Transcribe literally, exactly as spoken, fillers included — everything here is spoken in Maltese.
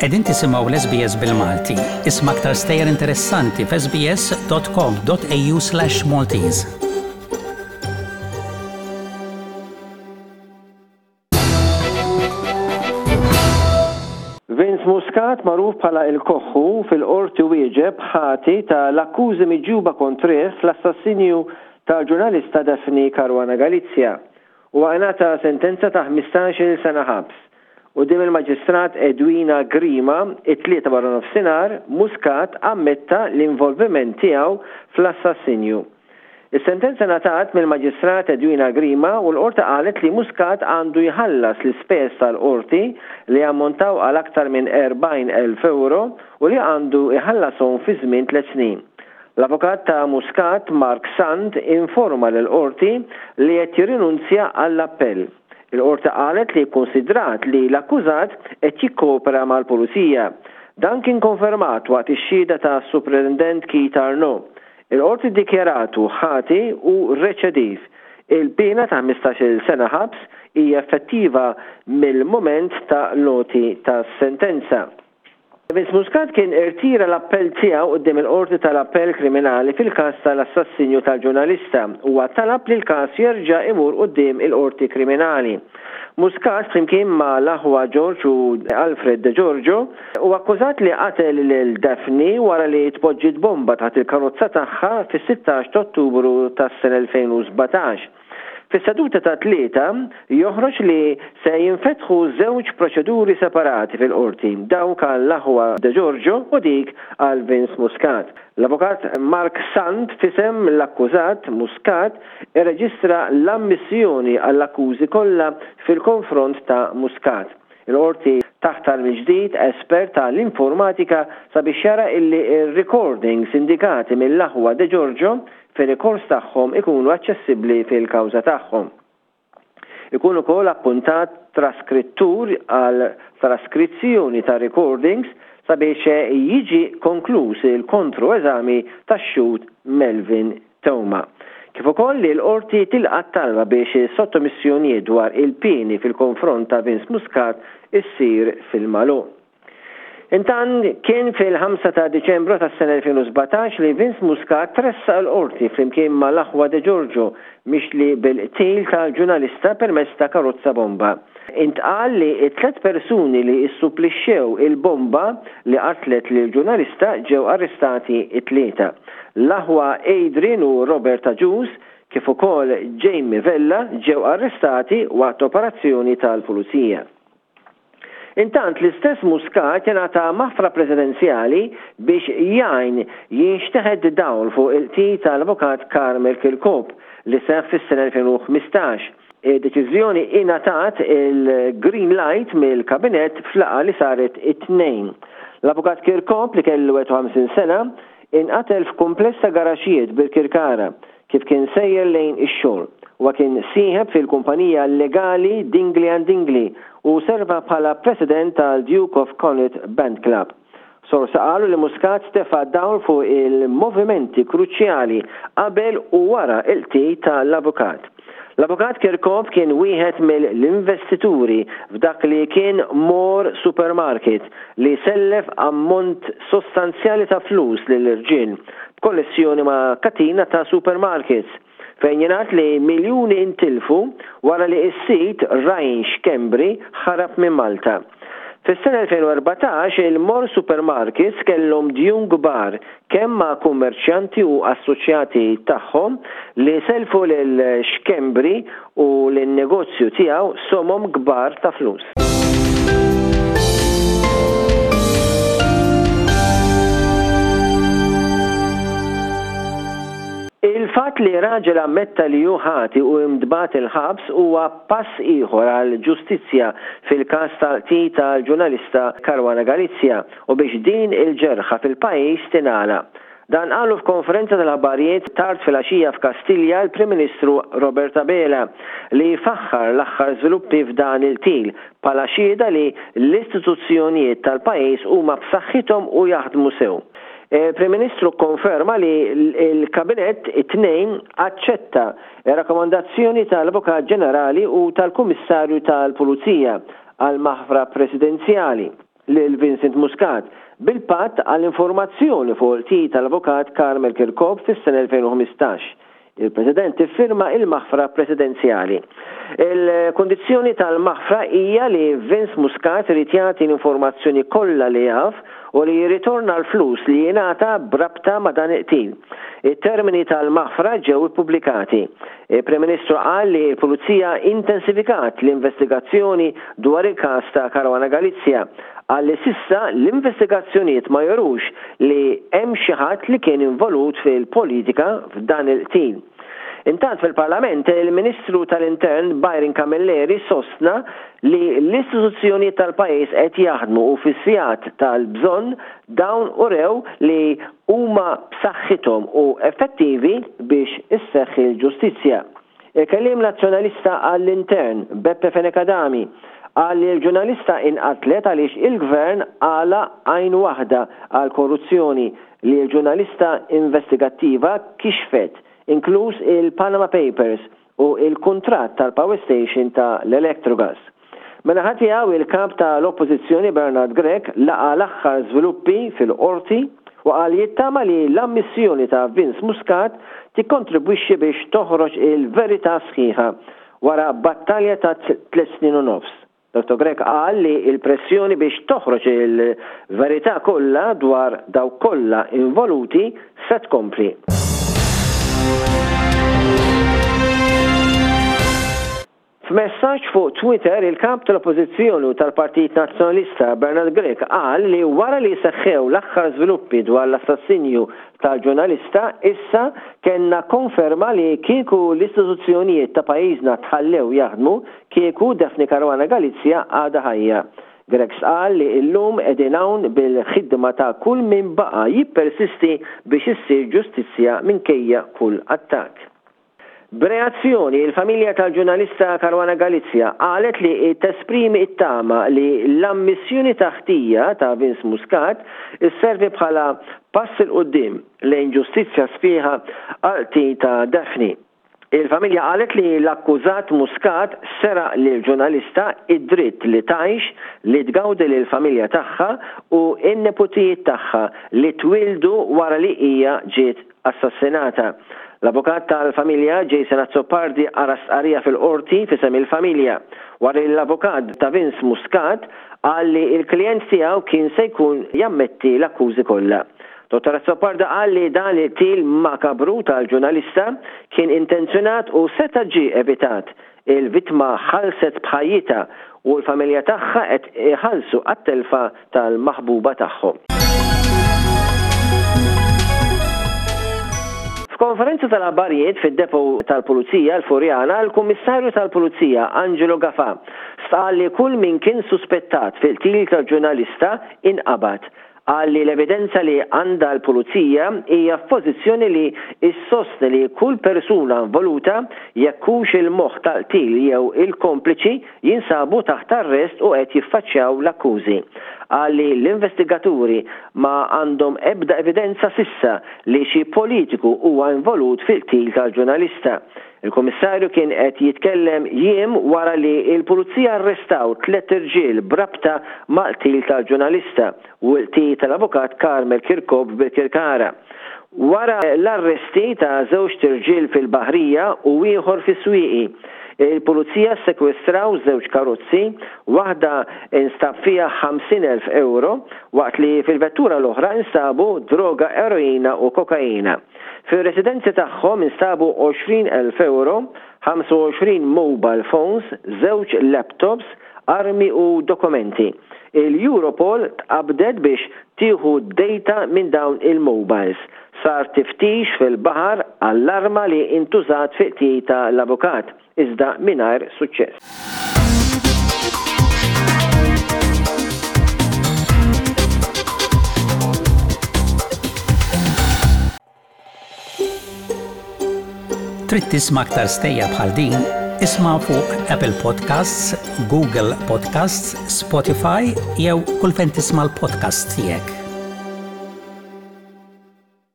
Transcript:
Qegħdin tisimgħu l-S B S bil-Malti. Isma' aktar stejjer interessanti f'S B S dot com dot A U slash Maltese. Vince Muscat, magħruf bħala il-Koħħu, fil-qorti wieġeb ħati ta' l-akkużi miġjuba kontrih fl-assassinju tal-ġurnalista Daphne Caruana Galizia u ngħata sentenza ta' ħmistax-il sena ħabs. Quddiem il-Maġistrat Edwina Grima, it-Tlieta wara nofsinhar, Muscat ammetta l-involviment tiegħu fl-assassinju. Is-sentenza ngħatat mill-Maġistrat Edwina Grima u l-qorti qalet li Muscat għandu jħallas l-ispejjeż tal-qorti li ammontaw għal aktar minn erbgħin elf euro u li għandu jħallashom fi żmien tliet snin. L-avukat ta' Muscat, Mark Sant, informa l-qorti li qed jirrinunzja għall-appell. Il-qorti qalet li konsidrat li l-akkużat qed jikkopera mal-pulizija. Dan kien konfermat waqt ix-xhieda ta' Superintendent Keith Arnaud. Il-qorti dikjaratu ħati u reċediv. Il-pena ta' ħmistax-il sena ħabs hija effettiva mill-moment ta' l-għoti ta' sentenza. Vince Muscat kien irtira l-appell tiegħu quddiem il-qorti tal-appell kriminali fil-każ tal-assassinju tal-ġurnalista u talab li l-każ jerġa' imur quddiem il-qorti kriminali. Muscat, flimkien ma' l-aħwa George u Alfred De Giorgio, u akkużat li qatel lil Daphne wara li tpoġġiet bomba taħt il-karozza tagħha fis-sittax ta' Ottubru tas-sena elfejn u sbatax. Fis-seduta tat-Tlieta joħroġ li se jinfetħu żewġ proċeduri separati fil-qorti, dawk għall-aħwa De Giorgio u dik għal Vince Muscat. L-avukat Mark Sant, f'isem l-akkużat Muscat, irreġistra l-ammissjoni għall-akkużi kollha fil-konfront ta' Muscat. Il-qorti taħtar mill-ġdid espert tal-informatika sabiex jara illi il-recordings indikati mill-aħwa De Giorgio fir-rikors tagħhom ikunu aċċessibbli fil-kawża tagħhom. Ikun ukoll appuntat traskrittur għal traskrizzjoni ta' recordings sabiex jiġi konkluż il-kontroeżami tax-xhud Melvin Theuma. Kif ukoll li l-qorti tilqa' talba biex sottomissjonijiet dwar il-pieni fil-konfront ta' Vince Muscat issir fil-magħluq. Intant, kien fil-ħamsa ta' Diċembru tas-sena elfejn u sbatax li Vince Muscat tressaq il-qorti flimkien ma' l-aħwa De Giorgio, mixli bil-qtil tal-ġurnalista permezz ta' karozza bomba. Intqal li t-tlet persuni li issupplixxew il-bomba li qatlet lil ġurnalista ġew arrestati it-Tlieta. L-aħwa Adrian u Robert Agius kif ukoll Jamie Vella ġew arrestati waqt operazzjoni tal-pulizija. Intant, l-istess Muscat jingħata maħfra presidenzjali biex jgħin jinxteħed dawl fuq il-qtil tal-avukat Carmel Kirkop li seħ fis-sena elfejn u ħmistax. Deċiżjoni ingħatat il-green light mill-kabinet f'laqgħa li saret it-Tnejn. L-avukat Kirkop, li kellu ħamsa u ħamsin sena, inqatel f'kumpless ta' garaxijiet Birkirkara kif kien sejjer lejn ix-xogħol. Huwa kien sieħeb fil-kumpanija legali Dingley and Dingley u serva bħala president tal-Duke of Connaught Band Club. Sorsi qalu li Muscat tefa' dawl fuq il-movimenti kruċjali qabel u wara il-qtil tal-avukat. L-avukat Kirkop kien wieħed mill-investituri f'dak li kien More Supermarket li sellef ammont sostanzjali ta' flus lill-irġiel b'konnessjoni ma' katina ta' supermarkets, fejn jingħad li miljuni intilfu wara li s-sid Ryan Schembri ħarab minn Malta. Fis-sena elfejn u erbatax il-More Supermarkets kellhom djun kbar kemm ma' kummerċjanti u assoċjati tagħhom li selfu lil Schembri u lin-negozju tiegħu somom kbar ta' flus. Il-fatt li raġel ammetta li hu ħati u ntbagħat il-ħabs huwa pass ieħor għal ġustizzja fil-każ tal-qtil tal-ġurnalista Caruana Galizia u biex din il-ġerħa fil-pajjiż tingħalaq. Dan qalu f'konferenza tal-aħbarijiet tard fil-għaxija f'Kastilja l-Prim Ministru Robert Abela, li faħħar l-aħħar żviluppi f'dan il-qtil bħala xhieda li l-istituzzjonijiet tal-pajjiż huma b'saħħithom u jaħdmu sew. Il-Prim Ministru konferma li l-Kabinett it-Tnejn aċċetta rakkomandazzjoni tal-Avukat Ġenerali u tal-Kummissarju tal-Pulizija għal maħfra presidenzjali. lil Vincent Muscat bil-patt għal informazzjoni fuq il-qtil tal-avukat Carmel Chircop fis-sena elfejn u ħmistax. Il-President iffirma il-maħfra presidenzjali. Il-kondizzjoni tal-maħfra hija li Vince Muscat irid jagħti l-informazzjoni kollha li jaf u li jirritorna l-flus li jingħata b'rabta ma' dan il-qtil. It-termini tal-maħfra ġew ippubblikati. Il-Prim Ministru qal li l-Pulizija intensifikat l-investigazzjoni dwar il-każ ta' Caruana Galizia. Qal li s'issa l-investigazzjonijiet ma jurux li hemm xi ħadd li kien involut fil-politika f'dan il-qtil. Intant fil-Parlament, il-Ministru tal-Intern Byron Camilleri sostna li l-istituzzjonijiet tal-pajjiż qed jaħdmu u fis-sigħat tal-bżonn dawn urew li huma b'saħħithom u effettivi biex isseħħ il-ġustizzja. Il-kelliem nazzjonalista għall-Intern Beppe Fenech Adami qal li l-ġurnalista inqatlet għaliex il-gvern għalaq għajn waħda għal korruzzjoni li l-ġurnalista investigattiva kixfet, inkluż il-Panama Papers u il-kuntratt tal-Power Station ta' l-Electrogas. Mela ħadd tiegħu il-kap tal-Oppożizzjoni Bernard Grech laqa l-aħħar żviluppi fil-qorti u qal jittama li l-ammissjoni ta' Vince Muscat tikkontribwixxi biex toħroġ il-verità sħiħa wara battalja ta' tliet snin u nofs. Dottor Grech qal li l-pressjoni biex toħroġ il-verità kollha dwar dawk kollha involuti se tkompli. F'messaġġ fuq Twitter, il-kap tal-Oppożizzjoni u tal-Partit Nazzjonalista Bernard Grech qal li wara li seħħew l-aħħar żviluppi dwar l-assassinju tal-ġurnalista, issa kellna konferma li kieku l-istituzzjonijiet ta' pajjiżna tħallew jaħdmu, kieku Daphne Caruana Galizia għadha ħajja. Grech qal li llum qegħdin hawn bil-ħidma ta' kull min baqa' jippersisti biex issir ġustizzja minkejja kull attakk. B'reazzjoni, il-familja tal-ġurnalista Caruana Galizia qalet li tesprimi t-tama li l-ammissjoni ta' ħtija ta' Vince Muscat isservi bħala pass 'il quddiem lejn ġustizzja sħiħa għal qtil ta' Daphne. Il-familja qalet li l-akkużat Muscat seraq lil ġurnalista id-dritt li tgħix, li tgawdi lil familja tagħha u n-neputijiet tagħha li twildu wara li hija ġiet assassinata. L-avukat tal-familja Jason Azzopardi qara stqarrija fil-qorti f'isem il-familja wara li l-avukat ta' Vince Muscat qal li l-klijent tiegħu kien se jkun jammetti l-akkużi kollha. Dottor Azzopardi qal li dan il-qtil makabru tal-ġurnalista kien intenzjonat u seta' ġie evitat. Il-vittma ħallset b'ħajjitha u l-familja tagħha qed iħallsu għat-telfa tal-maħbuba tagħhom. F'konferenza tal-aħbarijiet fid-depo tal-Pulizija l-Furjana, il-Kummissarju tal-Pulizija Angelo Gafà stqarr li kull min kien suspettat fil-qtil tal-ġurnalista inqabad. Qal li l-evidenza li għandha l-Pulizija hija f'pożizzjoni li issostni li kull persuna involuta, jekk hux il-moħħ tal-qtil jew il-kompliċi, jinsabu taħt arrest u qed jiffaċċjaw l-akkużi. Qal li l-investigaturi ma għandhom ebda evidenza s'issa li xi politiku huwa involut fil-qtil tal-ġurnalista. Il-Kummissarju kien qed jitkellem jiem wara li l-Pulizija arrestaw tliet irġiel b'rabta mal-qtil tal-ġurnalista u l-qtil tal-avukat Carmel Chircop Birkirkara. Wara l-arresti ta' żewġ irġiel fil-Baħrija u ieħor fis-Swieqi, il-Pulizija sekwestraw żewġ karozzi, waħda instab fiha ħamsin elf euro, waqt li fil-vettura l-oħra instabu droga eroina u kokaina. Fir-residenzi tagħhom instabu għoxrin elf euro, ħamsa u għoxrin mobile phones, żewġ laptops, armi u dokumenti. Il-Europol tqabdet biex tieħu data minn dawn il-mobiles. Sar tiftix fil-baħar għall-arma li intużat fi qtil tal-avukat, iżda mingħajr suċċess. Trid tisma' aktar stejjer bħal din? Isma' fuq Apple Podcasts, Google Podcasts, Spotify jew kull fejn tisma' l-podcasts tiegħek.